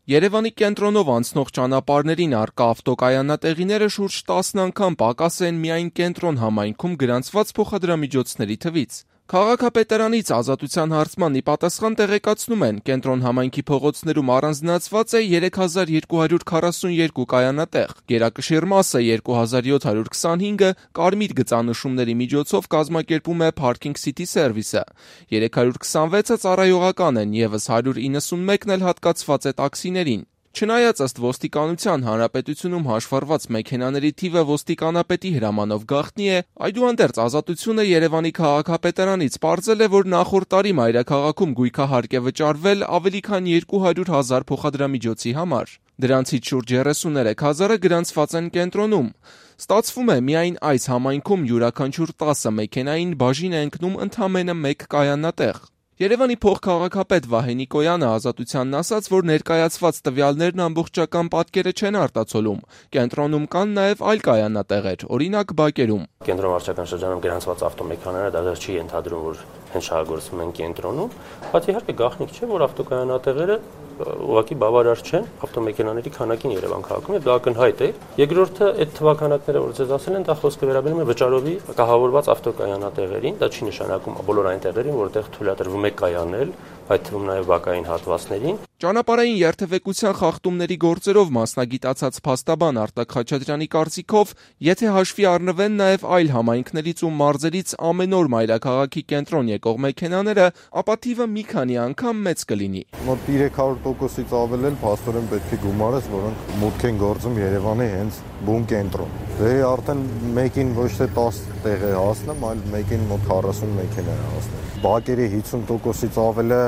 Երևանի կենտրոնով անցնող ճանապարհներին առկա ավտոկայանատեղիները շուրջ 10 անգամ պակաս են միայն կենտրոն համայնքում գրանցված փոխադրամիջոցների թվից։ Քաղաքապետարանից Ազատության հարցմանի պատասխան տեղեկացնում են, կենտրոն համայնքի փողոցներում առանձնացված է 3242 կայանատեղ, գերակշիռ մասը 2725-ը կարմիր գծանշումների միջոցով կազմակերպում է Parking City Service-ը, 326-ը ծառայողական են, ևս 191-ն էլ հատկացված է տաքսիներին։ Չնայած ըստ ոստիկանության հանրապետությունում հաշվառված մեքենաների թիվը ոստիկանապետի հրամանով գաղտնի է, այդուհանդերձ Ազատությունը Երևանի քաղաքապետարանից պարզել է, որ նախորդ տարի մայրաքաղաքում գույքահարկ է վճարվել ավելի քան 200,000 փոխադրամիջոցի համար։ Դրանցից շուրջ 33,000-ը գրանցված են կենտրոնում։ Ստացվում է, միայն այս համայնքում յուրաքանչյուր 10 մեքենային բաժին է ընկնում ընդամենը 1 կայանատեղ։ Երևանի փոխքաղաքապետ Վահե Նիկոյանը Ազատությանն ասաց, որ ներկայացված տվյալներն ամբողջական պատկերը չեն արտացոլում։ Կենտրոնում կան նաև այլ կայանատեղեր, օրինակ բակերում։ Կենտրոն վարչական շրջանում գրանցված ավտոմեքենաները դեռ չի ենթադրում, որ հենց շահագործվում են կենտրոնում, բայց իհարկե գաղտնիք չէ, որ ավտոկայանատեղերը ուղղակի բավարար չեն ավտոմեքենաների քանակին Երևան քաղաքում, եւ դա ակնհայտ է։ Երկրորդը, այդ թվականակները, որ ձեզ ասել են, դա խոսքը վերաբերում է վճարովի կահավորված ավտոկայանատեղերին, դա չի նշանակում բոլոր այն տեղերին, որտեղ թույլատրվում է կայանել, այդ թվում նաև բակային հատվածներին։ Ճանապարհային երթևեկության խախտումների գործերով մասնագիտացած փաստաբան Արտակ Խաչատրյանի կարծիքով, եթե հաշվի առնվեն նաև այլ համայնքներից ու մարզերից ամեն օր մայրաքաղաքի կենտրոն եկող մեքենաները, ապա թիվը մի քանի անգամ մեծ կլինի։ Մոտ 300%-ից ավել էլ փաստորեն պետք է գումարես, որոնք մուտք են գործում Երևանի հենց բուն կենտրոն։ Դե արդեն մեկին ոչ թե 10 տեղ է հասնում, այլ մեկին մոտ 40 մեքենա է հասնում։ Բակերի 50%-ից ավելը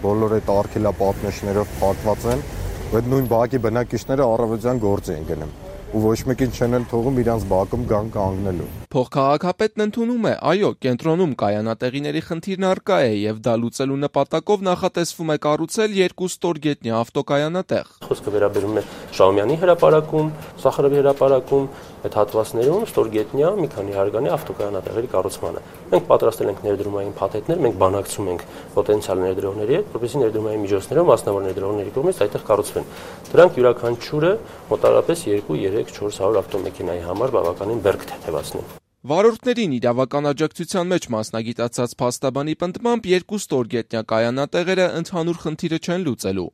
բոլոր այդ արգելապատնեշներով փակված են, այդ նույն բակի բնակիչները առավոտյան գործի են գնում ու ոչ մեկին չեն էլ թողում իրանց բակում գան կանգնելու։ Փոխքաղաքապետն ընդունում է, այո, կենտրոնում կայանատեղիների խնդիրն առկա է եւ դա լուծելու նպատակով նախատեսվում է կառուցել 2 ստորգետնյա ավտոկայանատեղ։ Խոսքը վերաբերում է Շահումյանի հրապարակում, Սախարովի հրապարակում, այդ հատվածներում ստորգետնյա մի քանի հարգանի ավտոկայանատեղերի կառուցմանը։ Մենք պատրաստել ենք ներդրումային փաթեթներ, մենք բանակցում ենք պոտենցիալ ներդրողների հետ, որպեսզի ներդրումային միջոցներով մասնավոր ներդրողների կողմից այդտեղ կառուցվեն։ Դրանք յուրաքանչյուրը մոտավորապես 2-3-400 ավտոմեքենայի համար բավականին բերք թեթևացնեն։ Վարորդներին իրավական աջակցության մեջ մասնագիտացած փաստաբանի պնդմամբ 2 ստորգետնյա կայանատեղերը ընդհանուր խնդիրը չեն լուծելու։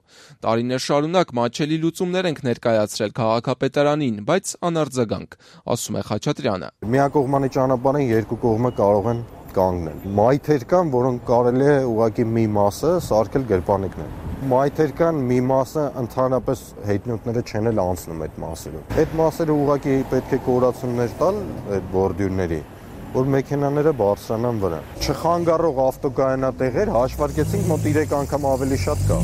Տարիներ շարունակ մատչելի լուծումներ ենք ներկայացրել քաղաքապետարանին, բայց անարձագանք, ասում է Խաչատրյանը։ Միակողմանի ճանապարհին երկու կողմը կարող են կանգնել։ Մայթեր կան, որոնք կարելի է ուղղակի մի մասը սարքել գրպանիկներ։ Մայթեր կան, մի մասը ընդհանրապես հետնորդները չեն էլ անցնում այդ մասերով։ Այդ մասերը ուղղակի պետք է կորացումներ տալ այդ բորդյուրների, որ մեքենաները բարձրանան վրա։ Չխանգարող ավտոկայանատեղեր հաշվարկեցինք մոտ 3 անգամ ավելի շատ կա։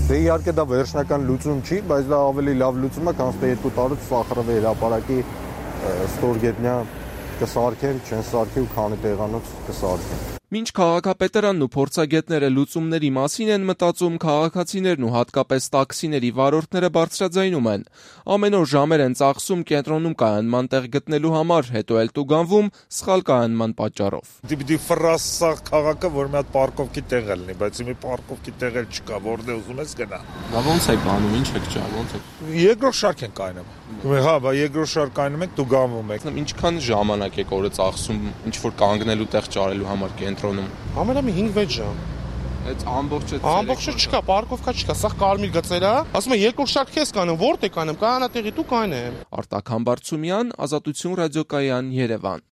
Դե իհարկե դա վերջնական լուծում չի, բայց դա ավելի լավ լուծում է, քան թե 2 տարուց Սախարովի հրապարակի ստորգետնյա կսարքեն, չեն սարքի ու քանի տեղանոց կսարքեն։ Մինչ քաղաքապետարանն ու փորձագետները լուծումների մասին են մտածում, քաղաքացիներն ու հատկապես տաքսիների վարորդները բարձրաձայնում են։ Ամեն օր ժամեր են ծախսում կենտրոնում կայանման տեղ գտնելու համար, հետո էլ տուգանվում սխալ կայանման պատճառով։ Դիպդի ֆրասա քաղաքը, որ մի հատ պարկովքի տեղ է լինի, բայց մի պարկովքի տեղ էլ չկա, որտեղ ուզում ես գնա։ Դա ո՞նց է կանում, ինչ եք ճար, ո՞նց է։ Երկրորդ շարք են կայանում։ Հա, բա երկրորդ շարք կայնում ենք, տուգանվում եք։ Ինչքան ժամանակ եք օրը ծախսում ինչ որ կանգնելու տեղ ճարելու համար կենտրոնում։ Ամենամի 5-6 ժամ։ Այդ ամբողջը չկա, պարկովկա չկա, սա կարմիր գծեր է։ Ասում եմ երկրորդ շարք քեզ կանեմ, որտե կանեմ, կայանատեղի դու կանեմ։ Արտակ Համբարձումյան, Ազատություն ռադիոկայան, Երևան։